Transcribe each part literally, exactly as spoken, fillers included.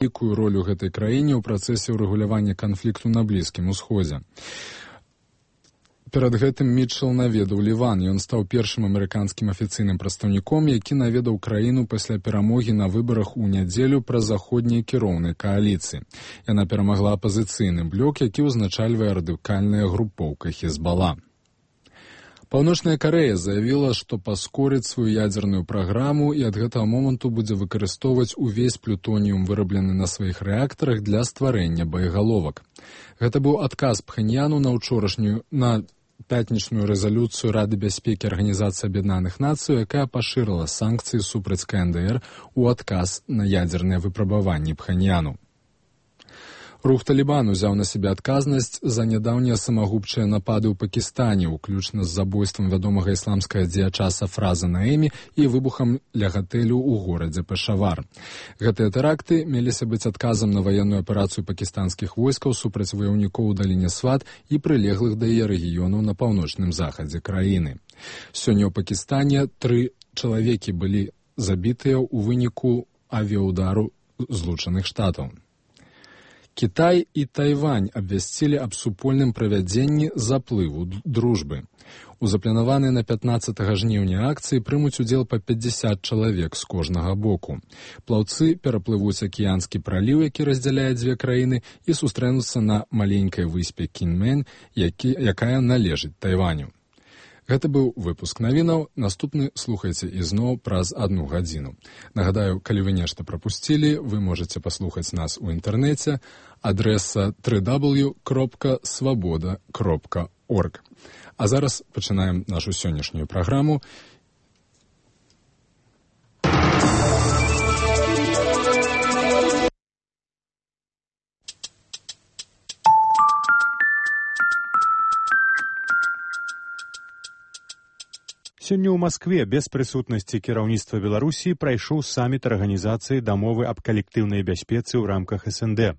вялікую ролю гэтай краіне ў працэсе ўрэгулявання канфлікту на Блізкім Усходзе. Перад гэтым Мітчел наведаў Ліван. Ён стаў першым амерыканскім афіцыйным прадстаўніком, які наведаў краіну пасля перамогі на выбарах у нядзелю праз заходняй кіроўнай кааліцыі. Яна перамагла апазіцыйны блок, які ўзначальвае радыкальная групоўка Хезбала. Паўночная Карэя заявіла, што паскорыць сваю ядзерную праграму і ад гэтага моманту будзе выкарыстоўваць увесь плютоніум, выраблены на сваіх рэактарах, для стварэння боегаловак. Гэта быў адказ Пхеньяну на ўчорашнюю на пятнічную рэзалюцыю Рады бяспекі Арганізацыі Аб'яднаных Нацый, якая пашырыла санкцыі супраць КНДР у адказ на ядзерныя выпрабаванні Пхеньяну. Рух Талібан узяў на сябе адказнасць за нядаўнія самагубчыя напады ў Пакістане, уключна з забойствам вядомага ісламскага дзеяча Сафраза Наэмі і выбухам ля гатэлю ў горадзе Пешавар. Гэтыя тэракты меліся быць адказам на ваенную аперацыю пакістанскіх войскаў супраць ваяўнікоў у даліне Сват і прылеглых да яе рэгіёнаў на паўночным захадзе краіны. Сёння ў Пакістане тры чалавекі былі забітыя ў выніку авіаудару Злучаных Штатаў. Кітай і Тайвань абвясцілі аб супольным правядзенні заплыву дружбы. У запланаванай на пятнаццатага жніўня акцыі прымуць удзел па пятьдесят чалавек з кожнага боку. Плаўцы пераплывуць акіянскі праліў, які раздзяляе дзве краіны, і сустрэнуцца на маленькай выспе Кіньмэнь, які, якая належыць Тайваню. Гэта быў выпуск навінаў. Наступны слухайце ізноў праз одну гадзіну. Нагадаю, калі вы нешта прапусцілі, вы можаце паслухаць нас у інтэрнэце. Адрэса дабл ю дабл ю дабл ю кропка свабода кропка орг. А зараз пачынаем нашу сённяшнюю праграму. Сёння ў Маскве без прысутнасці кіраўніцтва Беларусі прайшоў саміт арганізацыі дамовы аб калектыўнай бяспецы ў рамках эс эн дэ.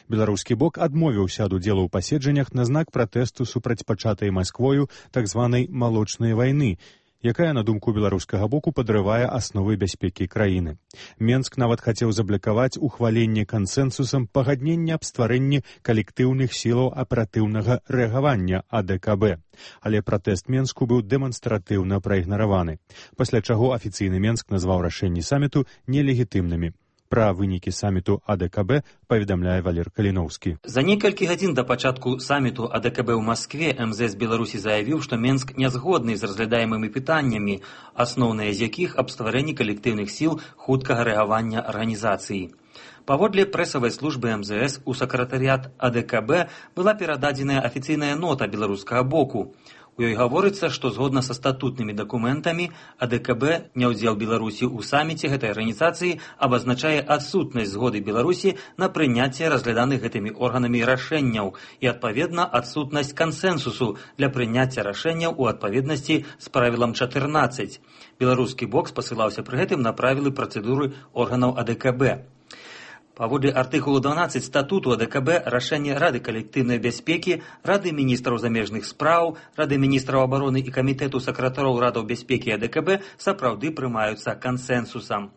Беларускі бок адмовіўся ад удзелу ў паседжаннях на знак пратэсту супраць пачатай Масквою так званай малочнай вайны, якая, на думку беларускага боку, падрывае асновы бяспекі краіны. Менск нават хацеў заблакаваць ухваленне кансэнсусам пагаднення аб стварэнні калектыўных сілаў аператыўнага рэагавання а дэ ка бэ. Але пратэст Менску быў дэманстратыўна праігнараваны, пасля чаго афіцыйны Менск назваў рашэнні саміту нелегітымнымі. Пра вынікі саміту а дэ ка бэ паведамляе Валер Каліноўскі. За некалькі гадзін да пачатку саміту а дэ ка бэ ў Маскве эм зэ эс Беларусі заявіў, што Менск не згодны з разглядаемымі пытаннямі, асноўныя з якіх аб стварэнні калектыўных сіл хуткага рэагавання арганізацыі. Паводле прэсавай службы эм зэ эс у сакратарыят а дэ ка бэ была перададзеная афіцыйная нота беларускага боку. У ёй гаворыцца, што згодна са статутнымі дакументамі а дэ ка бэ няўдзел Беларусі ў саміце гэтай арганізацыі абазначае адсутнасць згоды Беларусі на прыняцце разгляданых гэтымі органамі рашэнняў і, адпаведна, адсутнасць кансэнсусу для прыняцця рашэнняў у адпаведнасці з правілам чатырнаццаць. Беларускі бок спасылаўся пры гэтым на правілы працэдуры органаў а дэ ка бэ. Паводле артыкулу дванаццаць статуту а дэ ка бэ рашэнне Рады калектыўнай бяспекі, Рады міністраў замежных спраў, Рады міністраў абароны і камітэту сакратароў Радаў бяспекі а дэ ка бэ сапраўды прымаюцца кансэнсусам.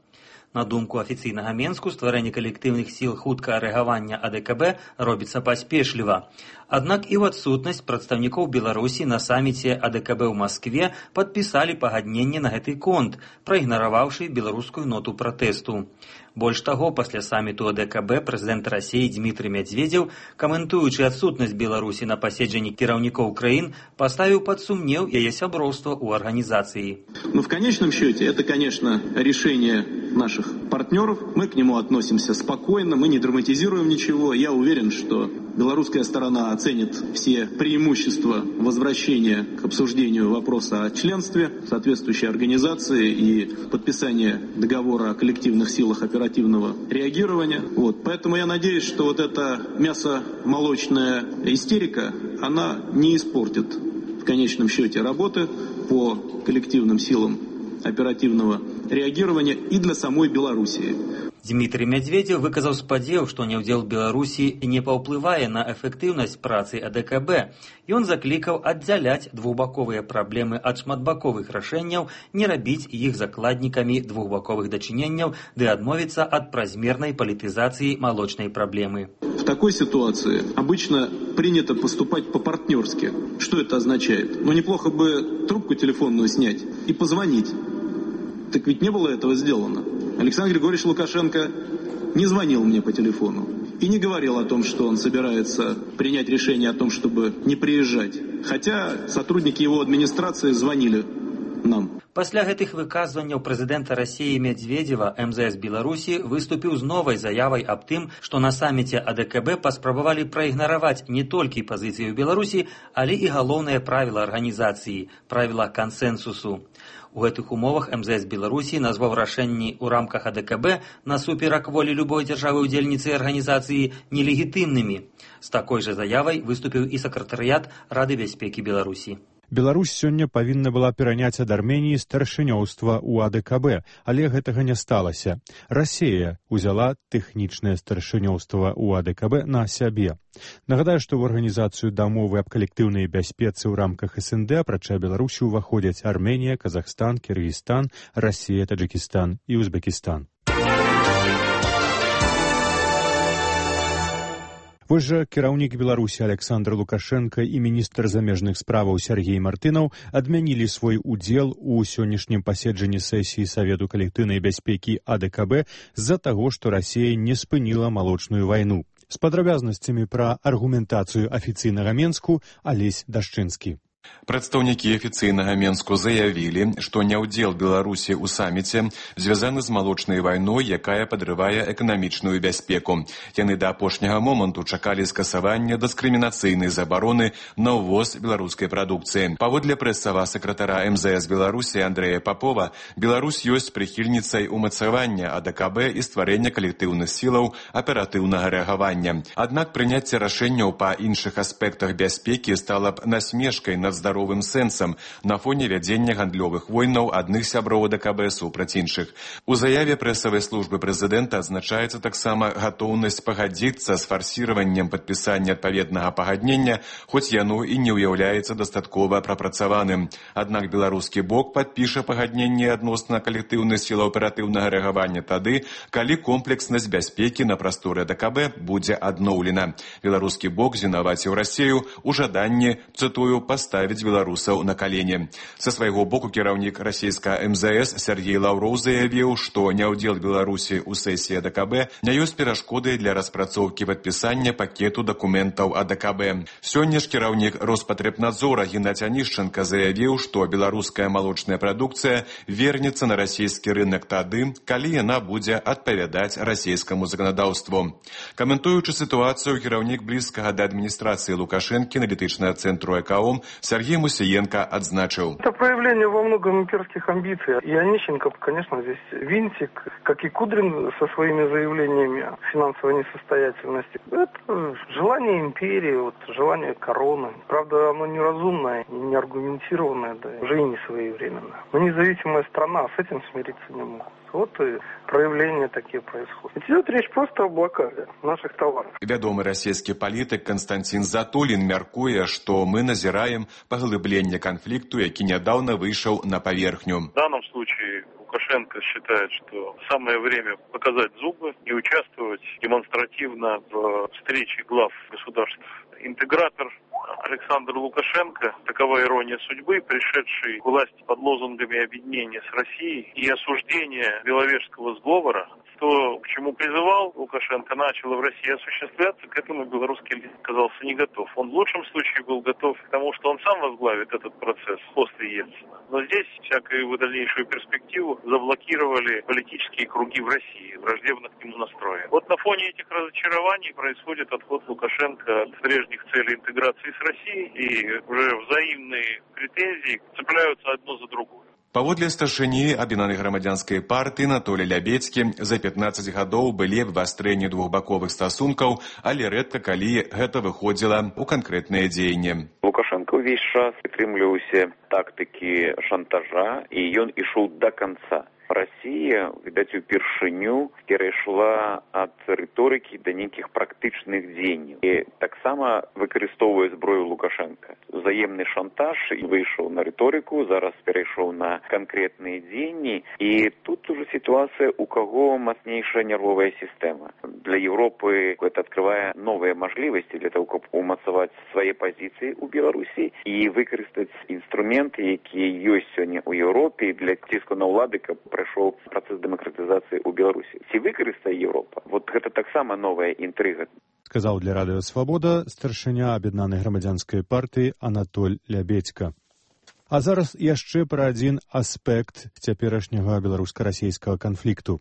На думку афіцыйнага Менску, стварэнне калектыўных сіл хуткага рэагавання а дэ ка бэ робіцца паспешліва. Аднак і ў адсутнасць прадстаўнікоў Беларусі на саміце а дэ ка бэ ў Маскве падпісалі пагадненне на гэты конт, праігнараваўшы беларускую ноту пратэсту. Больш таго, пасля саміту а дэ ка бэ прэзідэнт Расіі Дзмітрый Мядзведзеў, каментуючы адсутнасць Беларусі на паседжанні кіраўнікоў краін, поставил под сумнев яе сяброўства у организации. Но в конечном счете это, конечно, решение наших партнеров. Мы к нему относимся спокойно, мы не драматизируем ничего. Я уверен, что белорусская сторона оценит все преимущества возвращения к обсуждению вопроса о членстве соответствующей организации и подписания договора о коллективных силах оперативного реагирования. Вот. Поэтому я надеюсь, что вот эта мясомолочная истерика, она не испортит в конечном счете работы по коллективным силам оперативного реагирования и для самой Белоруссии. Дмітрый Мядзведзеў выказаў спадзеў, што няўдзел Беларусі не паўплывае на эфектыўнасць працы А Дэ Ка Бэ. Ён заклікаў аддзяляць двухбаковыя праблемы ад шматбаковых рашэнняў, не рабіць іх закладнікамі двухбаковых дачыненняў ды адмовіцца ад празмернай палітызацыі молочной проблемы. В такой ситуации обычно принято поступать по-партнерски. Что это означает? Ну, неплохо бы трубку телефонную снять и позвонить. Так ведь не было этого сделано. Александр Григорьевич Лукашенко не звонил мне по телефону и не говорил о том, что он собирается принять решение о том, чтобы не приезжать. Хотя сотрудники его администрации звонили нам. Пасля гэтых выказванняў прэзідэнта Расіі Мядзведзева эм зэ эс Беларусі выступіў з новай заявай аб тым, што на саміце А Дэ Ка Бэ паспрабавалі праігнараваць не толькі пазіцыю Беларусі, але і галоўнае правіла арганізацыі – правіла кансэнсусу. У гэтых умовах эм зэ эс Беларусі назваў рашэнні ў рамках А Дэ Ка Бэ насуперак волі любой дзяржавы-удзельніцы арганізацыі нелегітымнымі. З такой жа заявай выступіў і сакратарыят Рады бяспекі Беларусі. Беларусь сёння павінна была пераняць ад Арменіі старшынёўства ў А Дэ Ка Бэ, але гэтага не сталася. Расія ўзяла тэхнічнае старшынёўства ў А Дэ Ка Бэ на сябе. Нагадаю, што ў арганізацыю дамовы аб калектыўнай бяспецы ў рамках эс эн дэ апрача Беларусі ўваходзяць Арменія, Казахстан, Кыргызстан, Расія, Таджыкістан і Узбекістан. Вось жа кіраўнік Беларусі Александр Лукашенко і міністр замежных справаў Сергей Мартынаў адмянілі свой удзел у сённяшнім паседжанні сесіі Савету калектыўнай бяспекі А Дэ Ка Бэ з-за таго, што Расія не спыніла малочную вайну. З падрабязнасцямі пра аргументацыю афіцыйнага Менску Алесь Дашчынскі. Прадстаўнікі афіцыйнага Менску заявілі, што няўдзел Беларусі ў саміце звязаны з малочнай вайной, якая падрывае эканамічную бяспеку. Яны да апошняга моманту чакалі скасавання дыскрымінацыйнай забароны на ўвоз беларускай прадукцыі. Паводле прэсавага сакратара эм зэ эс Беларусі Андрэя Папова, Беларусь ёсць прыхільніцай умацавання А Дэ Ка Бэ і стварэння калектыўных сілаў аператыўнага рэагавання. Аднак прыняцце рашэнняў па іншых аспектах бяспекі стала б насмешкай над здаровым сэнсам на фоне вядзення гандлёвых войнаў адных сяброў А Дэ Ка Бэ супраць іншых. У заяве прэсавай службы прэзідэнта адзначаецца таксама гатоўнасць пагадзіцца з фарсіраваннем падпісання адпаведнага пагаднення, хоць яно і не ўяўляецца дастаткова прапрацаваным. Аднак беларускі бок падпіша пагадненне адносна калектыўных сілаў аператыўнага рэагавання тады, калі комплекснасць бяспекі на прасторы А Дэ Ка Бэ будзе адноўлена. Беларускі бок вінаваціў Расію ў жаданні, цытую, паставіць беларусаў на калені. Са свайго боку кіраўнік расійскага эм зэ эс Сергей Лаўроў заявіў, што няўдзел Беларусі ў сесіі А Дэ Ка Бэ не ёсць перашкодай для распрацоўкі падпісання пакету дакументаў А Дэ Ка Бэ. Сёння ж кіраўнік Роспатребнадзора Геннадзь Анішченка заявіў, што беларуская малочная прадукцыя вернецца на расійскі рынок тады, калі яна будзе адпавядаць расійскаму заканадаўству. Каментуючы сітуацыю, кіраўнік блізкага да адміністрацыі Лукашэнкі аналітычнага цэнтру ЭКАОМ Сергей Мусиенко отзначил. Это проявление во многом имперских амбиций. И Онищенко, конечно, здесь винтик, как и Кудрин со своими заявлениями о финансовой несостоятельности. Это желание империи, вот, желание короны. Правда, оно неразумное, не аргументированное, да, уже и не своевременное. Мы независимая страна, с этим смириться не могут. Вот и проявления такие происходят. Идет речь просто о блокаде наших товаров. Вядомы расійскі палітык Константин Затулин мяркуе, што мы назіраем паглыбленне канфлікту, які нядаўна выйшаў на паверхню. В данном случае Лукашенко считает, что самое время показать зубы и участвовать демонстративно в встрече глав государств. Интегратор Александр Лукашенко, такова ирония судьбы, пришедший к власти под лозунгами объединения с Россией и осуждения Беловежского сговора, то, к чему призывал Лукашенко, начало в России осуществляться, к этому белорусский лидер оказался не готов. Он в лучшем случае был готов к тому, что он сам возглавит этот процесс после Ельцина. Но здесь всякую дальнейшую перспективу заблокировали политические круги в России, враждебно к нему настроены. Вот на фоне этих разочарований происходит отход Лукашенко от прежних целей интеграции с Россией, и уже взаимные претензии цепляются одно за другое. Паводле старшыні аб'яднанай грамадзянскай партыі Анатолія Лябедзькі за пятнаццаць гадоў былі абвастрэнні двухбаковых стасункаў, але рэдка калі гэта выходзіла ў канкрэтныя дзеянні. Лукашенко ўвесь час прытрымліваўся тактыкі шантажа, і ён ішоў да канца. Расія, відаць, упершыню перайшла ад рыторыкі да нейкіх практычных дзеянняў. І таксама выкарыстоўвае зброю Лукашенка. Взаемны шантаж выйшаў на рыторыку, зараз перайшоў на канкрэтныя дзеянні. І тут уже ситуация, у кого мощнейшая нервовая система. Для Европы это открывает новые возможности для того, чтобы умацаваць свои позиции у Беларуси и выкарыстаць инструменты, якія ёсць сегодня у Европе для ціску на ўлады, каб прайшоў процесс демократизации у Беларуси. Ці выкарыстае Европа? Вот это таксама новая интрига. Сказаў для Радыё Свабода старшыня Аб'яднанай грамадзянскай партыі Анатоль Лябедзька. А зараз яшчэ пра адзін аспект цяперашняга беларуска-расійскага канфлікту.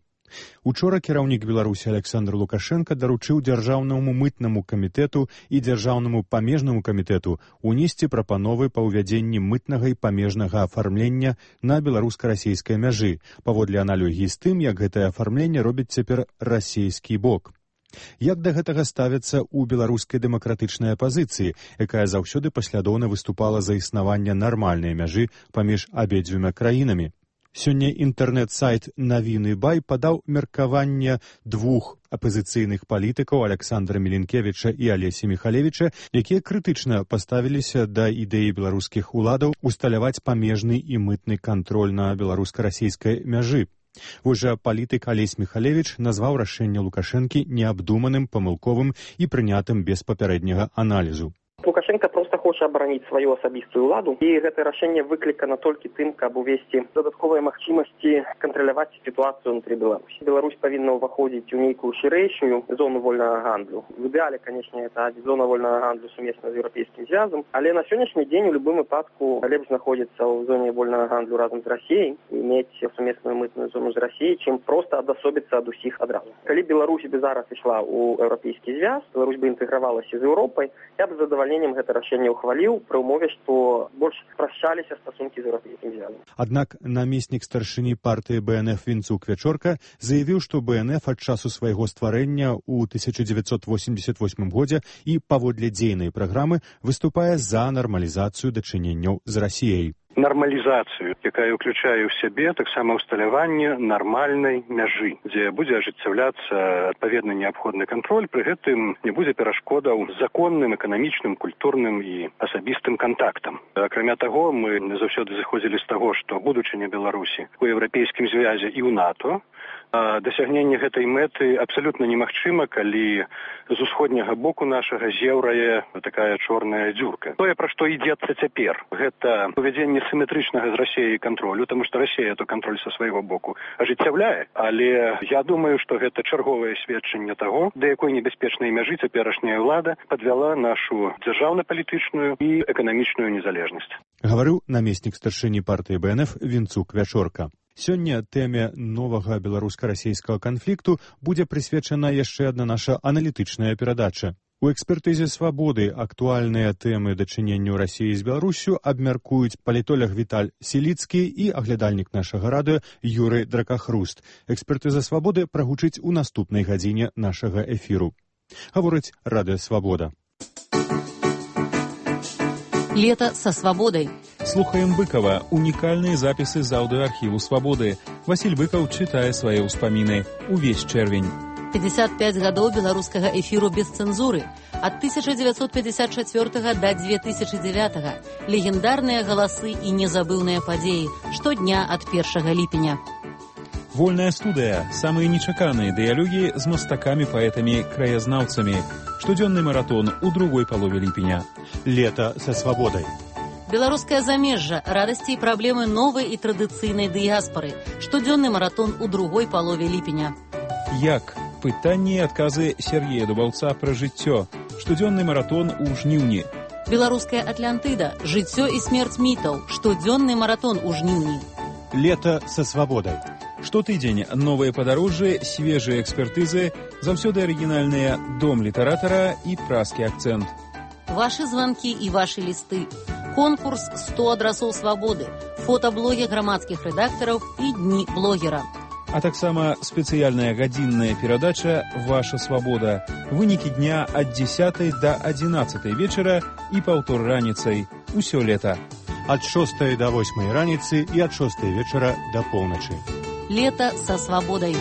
Учора кіраўнік Беларусі Александр Лукашенко даручыў дзяржаўнаму мытнаму камітэту і дзяржаўнаму памежнаму камітэту унесці прапановы па ўвядзенні мытнага і памежнага афармлення на беларуска-расійскай мяжы, паводле аналогіі з тым, як гэтае афармленне робіць цяпер расійскі бок. Як да гэтага ставяцца ў беларускай дэмакратычнай апазіцыі, якая заўсёды паслядоўна выступала за існаванне нармальнай мяжы паміж абедзвюма краінамі? Сёння інтэрнэт-сайт «Навіны Бай» падаў меркаванне двух апазіцыйных палітыкаў Александра Міленкевіча і Алесі Міхалевіча, якія крытычна паставіліся да ідэі беларускіх уладаў усталяваць памежны і мытны кантроль на беларуска-расійскай мяжы. Вось жа палітык Алесь Міхалевіч назваў рашэнне Лукашэнкі неабдуманым, памылковым і прынятым без папярэдняга аналізу. Лукашенко просто хоча абараніць сваю асабістую ўладу, і гэтае рашэнне выклікана толькі тым, каб увесці дадатковыя магчымасці кантраляваць сітуацыю ўнутры Беларусі. Беларусь павінна ўваходзіць у нейкую шырэйшую зону вольнага гандлю. В ідэале, канешне, это зона вольнага гандлю сумесна з еўрапейскім звязам, але на сённяшні дзень у любым выпадку лепш знаходзіцца ў зоне вольнага гандлю разам з Расіяй і мець сумесную мытную зону з Расіяй, чым проста адасобіцца ад усіх адразу. Калі Беларусь бы зараз ішла ў еўрапейскі звяз, Беларусь бы інтэгравалася з Еўропай, я б задавальненнем гэта рашэнне ухваліў пры ўмове, што больш спрашчаліся стасункі з еўрапейскім звязам. Аднак намеснік старшыні партыі бэ эн эф Вінцук Вячорка заявіў, што бэ эн эф ад часу свайго стварэння ў тысяча дзевяцьсот восемьдесят восьмым годзе і паводле дзейнай праграмы выступае за нармалізацыю дачыненняў з Расіяй. Нармалізацыю, якая ўключае ў сябе таксама ўсталяванне нармальнай мяжы, дзе будзе ажыццяўляцца адпаведна неабходны кантроль, пры гэтым не будзе перашкодаў законным, эканамічным, культурным і асабістым кантактам. Акрамя таго, мы заўсёды зыходзілі з таго, што будучыня Беларусі у еўрапейскім звязе і ў НАТО, дасягненне гэтай мэты абсалютна немагчыма, калі з усходняга боку нашага зеўрае такая чорная дзюрка. Тое, пра што ідзецца цяпер, гэта увядзенне сіметрычнага з Расіяй кантролю, таму што Расія то кантроль са свайго боку ажыццяўляе, але я думаю, што гэта чарговае сведчанне таго, да якой небяспечнай мяжы цяперашняя ўлада падвяла нашу дзяржаўна-палітычную і эканамічную незалежнасць. Гаварыў намеснік старшыні партыі бэ эн эф Вінцук Вячорка. Сёння тэме новага беларуска-расійскага канфлікту будзе прысвечана яшчэ адна наша аналітычная перадача. У экспертызе «Свабоды» актуальныя тэмы дачыненню Расіі з Беларусю абмяркуюць палітолог Віталь Селіцкі і аглядальнік нашага радыё Юрый Дракахруст. Экспертыза «Свабоды» прагучыць у наступнай гадзіне нашага эфіру. Гаворыць Радыё Свабода. Лето со свободой. Слухаем Быкова. Уникальные записи з аудиоархиву «Свободы». Василь Быков читает свои успомины. Увесь червень. пятьдесят пять годов белорусского эфиру без цензуры. От тысяча девятьсот пятьдесят четвёртого до две тысячи девятого. Легендарные голосы и незабывные подеи. Штодня от первого липеня. Вольная студия. Самые нечаканные диалоги с мастаками-поэтами-краязнаўцами. Штодзённый маратон у другой полове липеня. Лето со свободой. Белорусское замежжа. Радости и проблемы новой и традиционной диаспоры. Штодзённый маратон у другой полове липеня. Як? Пытанні і адказы Сергея Дубаўца пра жыццё. Штодзённы маратон у жніўні. Беларуская Атлантыда. Жыццё і смерць мітаў. Штодзённы маратон у жніўні. Лето со свободой. Штотыдзень новыя падарожжы, свежыя экспертызы, заўсёды арыгінальныя дом літаратара і празкі акцэнт. Ваши звонки и ваши листы. Конкурс сто адрасоў свободы. Фотоблоги грамадскіх рэдактараў і дні блогера. А таксама спецыяльная гадзінная перадача «Ваша свобода». Вынікі дня ад дзесятай да адзінаццатай вечара і паўтор раніцай. Усё лета. Ад шостай да восьмай раніцы і ад шостай вечара да поўначы. Лето со свободой.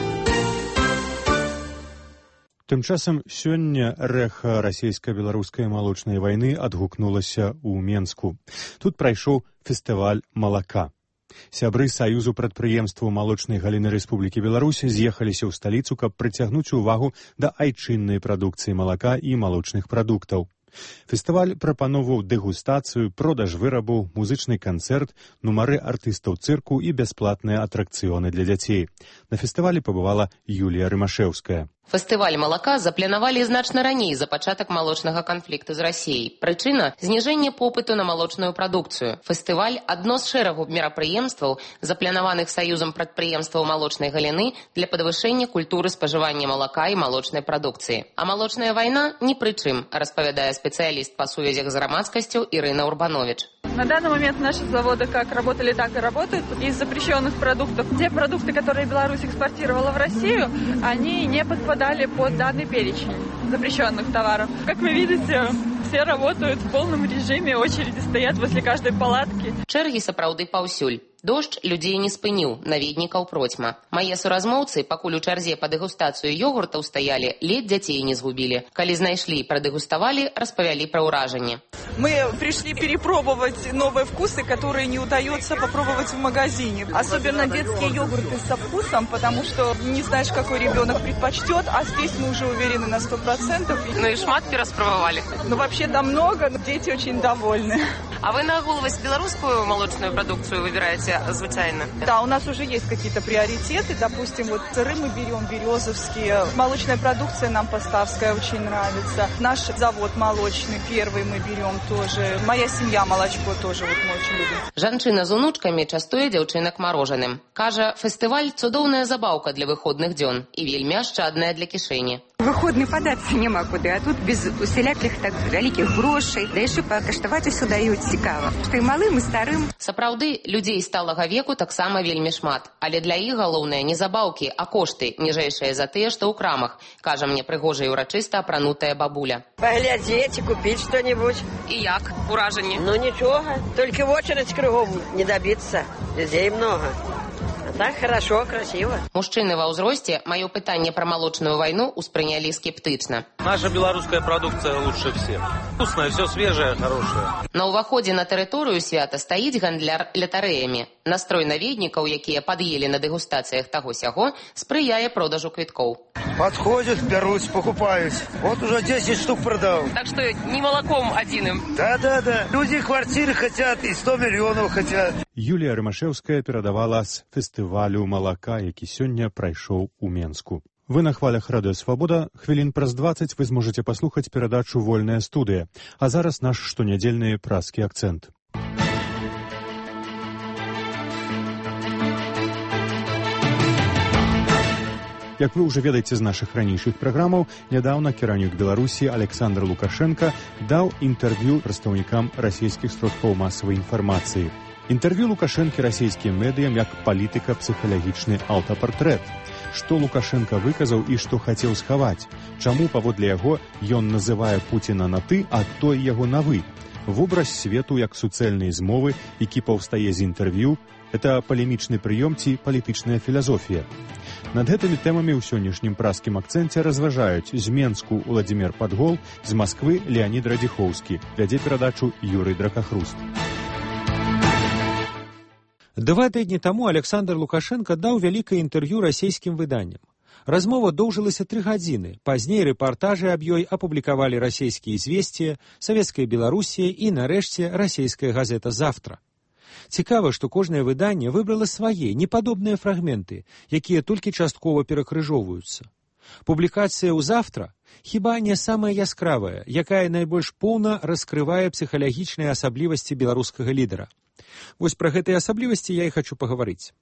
Тым часам сёння рэха расійска-беларускай малочнай вайны адгукнулася ў Менску. Тут прайшоў фестываль малака. Сябры Саюзу прадпрыемстваў малочнай галіны Рэспублікі Беларусь з'ехаліся ў сталіцу, каб прыцягнуць увагу да айчыннай прадукцыі малака і малочных прадуктаў. Фестываль прапаноўваў дэгустацыю, продаж вырабаў, музычны канцэрт, нумары артыстаў цырку і бясплатныя атракцыёны для дзяцей. На фестывалі пабывала Юлія Рымашэўская. Фестываль малака запланавалі значна раней за пачатак малочнага канфлікту з Расіяй. Прычына – зніжэнне попыту на малочную прадукцыю. Фестываль – адно з шэрагу мерапрыемстваў, запланаваных Саюзам прадпрыемстваў малочнай галіны для падвышэння культуры спажывання малака і малочнай прадукцыі. А малочная вайна ні пры чым, распавядае спецыяліст па сувязях з грамадскасцю Ірына Урбанович. На данный момент наши заводы как работали, так и работают. Из запрещенных продуктов, те продукты, которые Беларусь экспортировала в Россию, они не подпадали под данный перечень запрещенных товаров. Как вы видите, все работают в полном режиме, очереди стоят возле каждой палатки. Чэргі сапраўды паўсюль. Дождж людзей не спыніў, наведнікаў процьма. Мае суразмоўцы, пакуль у чарзе па дэгустацыю йогуртаў стаялі, ледь дзяцей не згубілі. Калі знайшлі і прадэгуставалі, распавялі пра ўражанні. Мы пришли перепробовать новые вкусы, которые не удается попробовать в магазине. Особенно детские йогурты со вкусом, потому что не знаешь, какой ребенок предпочтет, а здесь мы уже уверены на сто процентов. Ну и шматки распробовали. Ну вообще да много, но дети очень довольны. А вы на голову белорусскую молочную продукцию выбираете звычайно? Да, у нас уже есть какие-то приоритеты. Допустим, вот сыры мы берем березовские. Молочная продукция нам поставская очень нравится. Наш завод молочный первый мы берем тоже. Моя семья молочко тоже вот мы очень любим. Жанчына з унучкамі частуе дзяўчынак марожаным. Кажа, фестываль цудоўная забаўка для выходных дзён і вельмі ашчадная для кішэні. Выходны падацца няма куды, а тут без усялякіх так вялікіх грошай, да яшчэ пакаштаваць усё даюць цікава. Што і малым, і старым. Сапраўды, людзей сталага веку таксама вельмі шмат, але для іх галоўнае не забаўкі, а кошты, ніжэйшыя за тыя, што ў крамах, кажа мне прыгожа і ўрачыста апранутая бабуля. Паглядзець і купіць што-небудзь. І як? Уражанне? Ну нічога, толькі в очередь кругом не добиться, людзей много. Так хорошо, красиво. Мужчыны ва ўзросце маё пытанне пра малочную вайну ўспрынялі скептычна. Наша беларуская продукция лучше всех. Вкусная, все свежее, хорошее. На ўваходзе на тэрыторыю свята стаіць гандляр лятарэямі. Настрой наведнікаў, якія пад'елі на дэгустацыях таго-сяго, спрыяе продажу квіткоў. Подходят, берут, покупают. Вот уже десять штук продал. Так что не молоком одиным. Да-да-да. Люди квартиры хотят и сто миллионов хотят. Юлія Рымашэўская перадавала з фестывалю малака, які сёння прайшоў у Менску. Вы на хвалях радыё «Свабода». Хвілін праз дваццаць вы зможаце паслухаць перадачу «Вольная студыя». А зараз наш штонядзельны праскі акцэнт. Як вы ўжо ведаеце з нашых ранейшых праграмаў, нядаўна кіраўнік Беларусі Александр Лукашенко даў інтэрв'ю прадстаўнікам расійскіх сродкаў масавай інфармацыі. Інтэрв'ю Лукашэнкі расійскім медыям як палітыка-псіхалагічны аўтапартрэт. Што Лукашенко выказаў і што хацеў схаваць? Чаму, паводле яго, ён называе Пуціна на «ты», а той яго на «вы»? Вобраз свету як суцэльнай змовы, які паўстае з інтэрв'ю, это палемічны прыём ці палітычная філасофія. Над гэтымі тэмамі ў сённяшнім праскім акцэнце разважаюць з Менску Уладзімір Падгол, з Масквы Леанід Радзіхоўскі. Вядзе перадачу Юрый Дракахруст. Два тыдні таму Александр Лукашенко даў вялікае інтэрв'ю расійскім выданням. Размова доўжылася тры гадзіны. Пазней рэпартажы аб ёй апублікавалі расійскія «Известия», Савецкая Беларусія і, нарэшце, расійская газета «Завтра». Цікава, што кожнае выданне выбрала свае, непадобныя фрагменты, якія толькі часткова перакрыжоўваюцца. Публікацыя ў «Завтра» хіба не самая яскравая, якая найбольш поўна раскрывае псіхалагічныя асаблівасці беларускага лідара. Вось пра гэтыя асаблівасці я і хачу пагаварыць.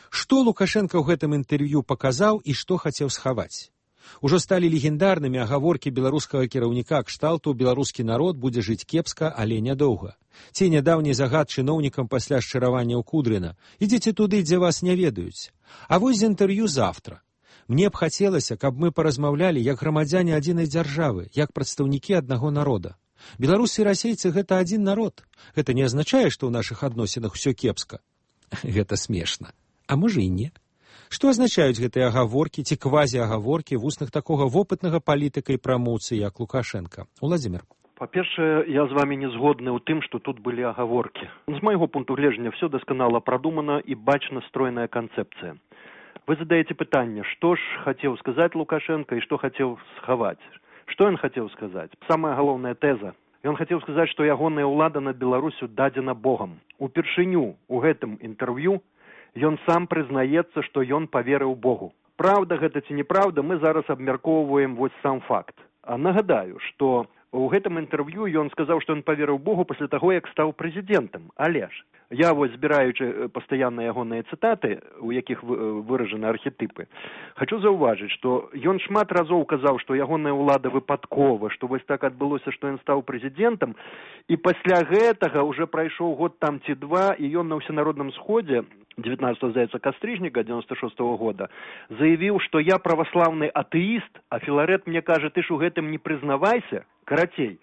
Што Лукашенко ў гэтым інтэрв'ю паказаў і што хацеў схаваць? Ужо сталі легендарнымі агаворкі беларускага кіраўніка кшталту «Беларускі народ будзе жыць кепска, але нядоўга». Ці нядаўні загад чыноўнікам пасля шчыравання ў Кудрына «Ідзіце туды, дзе вас не ведаюць». А вось з інтэрв'ю «Завтра». Мне б хацелася, каб мы паразмаўлялі як грамадзяне адзінай дзяржавы, як прадстаўнікі аднаго народа. Беларусы і расейцы — гэта адзін народ. Гэта не азначае, што ў нашых адносінах усё кепска. Гэта смешна. А можа і не. Што азначаюць гэтыя агаворкі ці квазіагаворкі вуснах такога вопытнага палітыка і прамоўцы, як Лукашенко? Уладзімір. Па-першае, я з вами не згодны ў тым, што тут былі агаворкі. З майго пункту гледжання все дасканала прадумана і бачна стройная канцэпцыя. Вы задаеце пытанне, што ж хацеў сказаць Лукашенко і што хацеў схаваць. Што ён хацеў сказаць? Самая галоўная тэза. Ён хацеў сказаць, што ягоная ўлада над Беларусю дадзена Богам. Упершыню ў гэтым інтэрв'ю ён сам прызнаецца, што ён паверыў Богу. Праўда гэта ці неправда, мы зараз абмяркоўваем вось сам факт. А нагадаю, што у гэтым інтэрв'ю ён сказаў, што ён паверыў Богу пасля таго, як стаў прэзідэнтам. Але ж, я вось збіраючы пастаянна ягоныя цытаты, у якіх выражаны архетыпы, хачу заўважыць, што ён шмат разоў казаў, што ягоная ўлада выпадкова, што вось так адбылося, што ён стаў прэзідэнтам, і пасля гэтага ўжо прайшоў год там ці два, і ён на ўсенародным сходзе девятнадцатого, здаецца, кастрычніка девяносто шестого года заявіў, што я праваслаўны атэіст, а Філарет мне кажа, ты ж у гэтым не прызнавайся. Карацей,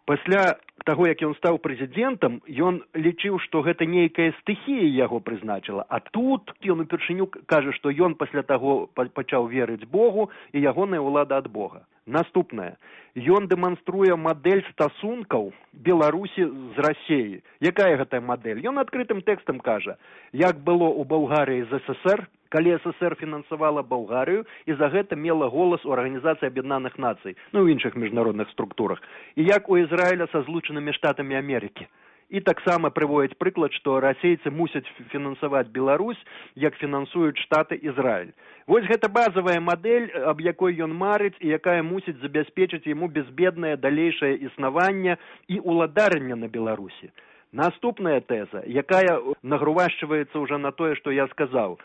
пасля таго, як ён стаў прэзідэнтам, ён лічыў, што гэта нейкая стыхія яго прызначыла, а тут ён упершыню кажа, што ён пасля таго пачаў верыць Богу і ягоная ўлада ад Бога. Наступнае. Ён дэманструе мадэль стасункаў Беларусі з Расіяй. Якая гэтая мадэль? Ён адкрытым тэкстам кажа, як было ў Балгарыі з СССР, калі СССР фінансавала Балгарыю і за гэта мела голас у Арганізацыі Аб'яднаных Нацый, ну і іншых міжнародных структурах, і як у Ізраіля са Злучанымі Штатамі Амерыкі. І таксама прыводзіць прыклад, што расейцы мусяць фінансаваць Беларусь, як фінансуюць Штаты Ізраіль. Вось гэта базавая мадэль, аб якой ён марыць і якая мусіць забяспечыць яму безбеднае далейшае існаванне і ўладарання на Беларусі. Наступная тэза, якая нагрувашчваецца ўжо на тое, што я сказаў.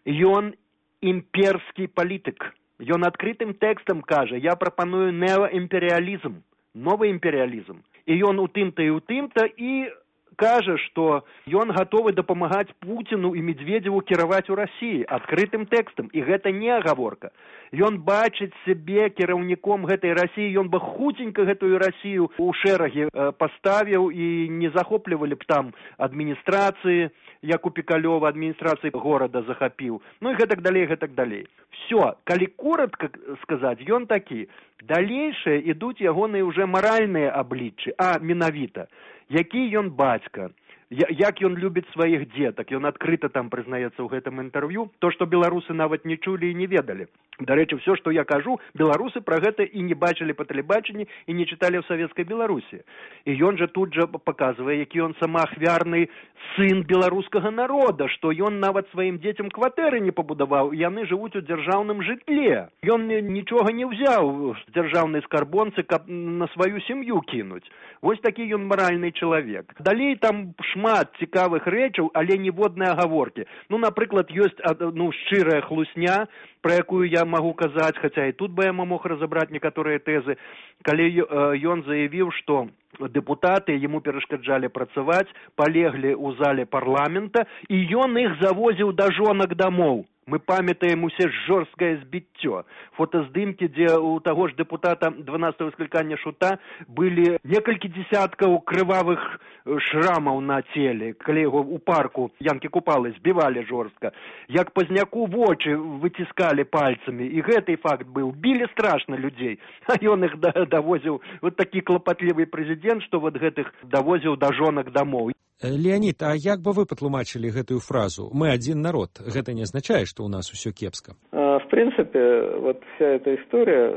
Ён імперскі палітык. Ён адкрытым тэкстам кажа, я прапаную неоімперыялізм, новы імперыялізм. І ён у тым-то і ў тым-то і кажа, што ён гатовы дапамагаць Пуціну і Медведзеву кіраваць у Расіі адкрытым тэкстам. І гэта не агаворка. Ён бачыць сябе кіраўніком гэтай Расіі, ён бы хуценька гэтую Расію ў шэрагі паставіў і не захоплівалі б там адміністрацыі, як у Пікалёва адміністрацыі горада захапіў. Ну і гэтак далей, гэтак далей. Все, калі коротка сказаць, ён такі. Далейшыя ідуць ягоныя ўжо маральныя абліччы, а менавіта, які ён бацька, як ён любіць сваіх дзетак, ён адкрыта там прызнаецца ў гэтым інтэрв'ю, то, што беларусы нават не чулі і не ведалі. Дарэчы, все, што я кажу, беларусы пра гэта і не бачылі па тэлебачанні і не чыталі ў савецкай Беларусі. І ён жа тут жа паказвае, які ён самаахвярны сын беларускага народа, што ён нават сваім дзецям кватэры не пабудаваў, яны жывуць у дзяржаўным жытле. Ён нічога не ўзяў з дзяржаўнай скарбонцы, каб на сваю сям'ю кінуць. Вось такі ён маральны чалавек. Далей там шмат цікавых рэчаў, але ніводнай агаворкі. Ну, напрыклад, ёсць ну, шчырая хлусня, пра якую я магу казаць, хаця і тут бы я мог разабраць некаторыя тэзы, калі ён заявіў, што дэпутаты яму перашкаджалі працаваць, палеглі ў зале парламента, і ён іх завозіў да жонак дамоў. Мы памятаем усе жорсткае збіццё. Фотаздымкі, дзе у таго ж дэпутата дванаццатага склікання Шута былі некалькі дзесяткаў крывавых шрамаў на целе, калі яго ў парку Янкі Купалы збівалі жорстка. Як Пазняку вочы выціскалі пальцамі, і гэты факт быў. Білі страшна людзей, а ён іх давозіў. Вот такі клапатлівы прэзідэнт, што вот гэтых давозіў да жонак дамоў. Леонид, а як бы вы патлумачылі гэтую фразу «Мы один народ»? Гэта не означает, что у нас все кепско? В принципе, вот вся эта история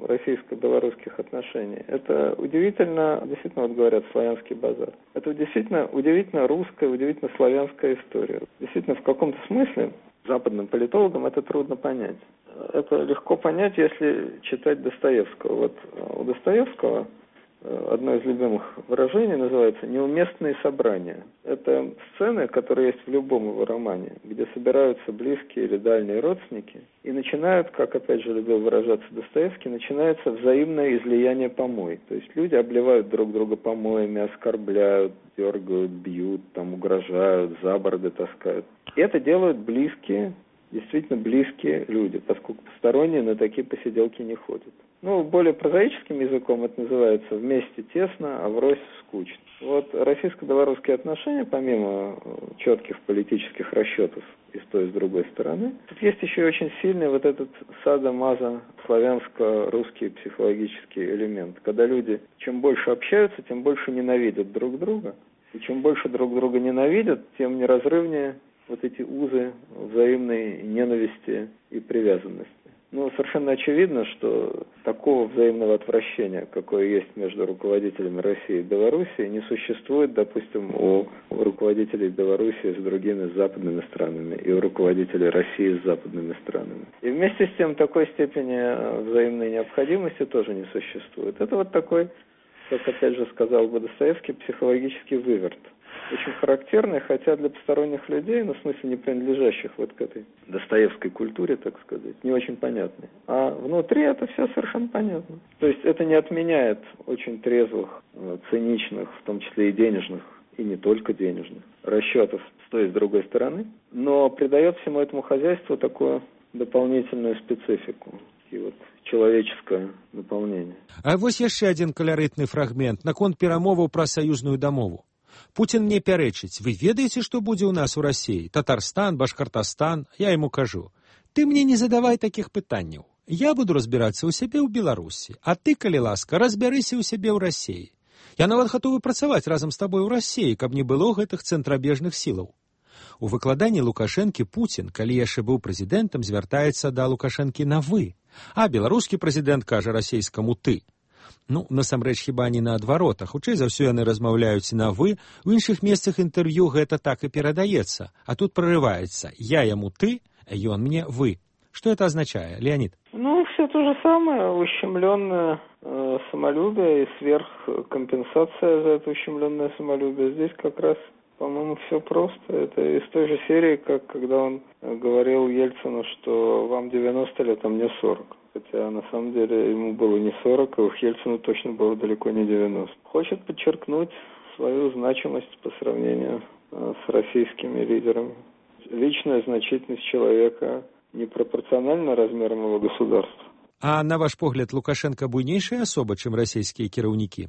российско-белорусских отношений, это удивительно, действительно, вот говорят, славянский базар. Это действительно удивительно русская, удивительно славянская история. Действительно, в каком-то смысле западным политологам это трудно понять. Это легко понять, если читать Достоевского. Вот у Достоевского одно из любимых выражений называется «неуместные собрания». Это сцены, которые есть в любом его романе, где собираются близкие или дальние родственники и начинают, как опять же любил выражаться Достоевский, начинается взаимное излияние помой. То есть люди обливают друг друга помоями, оскорбляют, дергают, бьют, там, угрожают, за бороды таскают. И это делают близкие действительно близкие люди, поскольку посторонние на такие посиделки не ходят. Ну, более прозаическим языком это называется «вместе тесно, а врозь скучно». Вот российско-белорусские отношения, помимо четких политических расчетов и с той, и с другой стороны, тут есть еще и очень сильный вот этот садо-мазо славянско-русский психологический элемент, когда люди чем больше общаются, тем больше ненавидят друг друга, и чем больше друг друга ненавидят, тем неразрывнее вот эти узы взаимной ненависти и привязанности. Ну, совершенно очевидно, что такого взаимного отвращения, какое есть между руководителями России и Белоруссии, не существует, допустим, у руководителей Белоруссии с другими западными странами и у руководителей России с западными странами. И вместе с тем такой степени взаимной необходимости тоже не существует. Это вот такой, как опять же сказал бы Достоевский, психологический выверт. Очень характерный, хотя для посторонних людей, ну, в смысле не принадлежащих вот к этой достоевской культуре, так сказать, не очень понятный. А внутри это все совершенно понятно. То есть это не отменяет очень трезвых, циничных, в том числе и денежных, и не только денежных, расчетов с той и с другой стороны, но придает всему этому хозяйству такую дополнительную специфику. И вот человеческое наполнение. А вот еще один колоритный фрагмент наконт перамоваў пра саюзную дамову. Путин мне пярэчыць: вы ведаеце, што будзе ў нас у России? Татарстан, Башкортостан? Я ему кажу: ты мне не задавай таких пытанняў. Я буду разбирацца ў сябе ў Беларусі, а ты, калі ласка, разбярыся ў сябе ў России. Я нават гатовы працаваць разам з табой у России, каб не было гэтых цэнтрабежных сілаў. У выкладанні Лукашэнкі Путин, калі яшчэ быў прэзідэнтам, звяртаецца да Лукашэнкі на «вы», а беларускі прэзідэнт кажа расейскаму «ты». Ну, насамрэч, хіба не наадварот, а хутчэй за ўсё яны размаўляюць на «вы», у іншых месцах інтэрв'ю гэта так і перадаецца, а тут прорываецца: я яму «ты», ён мне «вы». Что это означает, Леонид? Ну, все то же самое, ущемленное э, самолюбие и сверхкомпенсация за это ущемленное самолюбие. Здесь как раз, по-моему, все просто. Это из той же серии, как когда он говорил Ельцину, что вам девяносто лет, а мне сорок. Хотя на самом деле ему было не сорок, а у Ельцину точно было далеко не девяносто. Хочет подчеркнуть свою значимость по сравнению э, с российскими лидерами. Личная значительность человека непропорциональна размерам его государства. А на ваш погляд, Лукашенко буйнейшая особа, чым расійскія кіраўнікі?